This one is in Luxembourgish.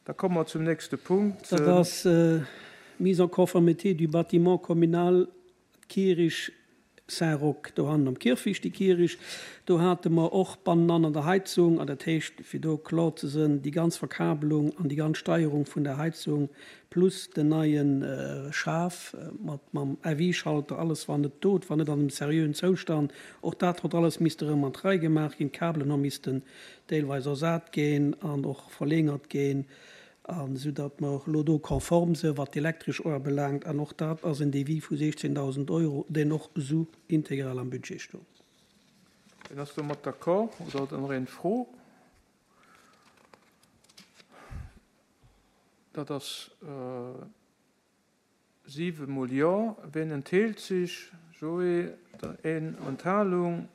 Da komme mer zum nächste Punkt. Dat ass Mise en conformité du bâtiment communal Kierisch Saint-Roch, dohannen am Kierfecht, déi Kierisch. Do hate mer och bannenan an der Heizung, an dat heescht, fir do kloer ze sënn, déi ganz Verkabelung an déi ganz Steierung vun der Heizung plus den neie Schaf mat mam FI-Schalter, alles war net do, et war net an engem seriöen Zoustand. Och dat hott alles misste erëm an d'Rei gemaach ginn, d'Kabelen hu missten deelweis ersat ginn an och verlängert ginn, an esou datt mer och elo do konform sinn, wat d'elektresch uebelaangt. An och dat ass en Devis vu 16.000 Euro, deen och esou integral am Budget stoung. Wien ass domat d'accord oder huet nach een Fro? Dat ass 7 mol Jo. Wien entheelt sech? Joé, een Enthalung.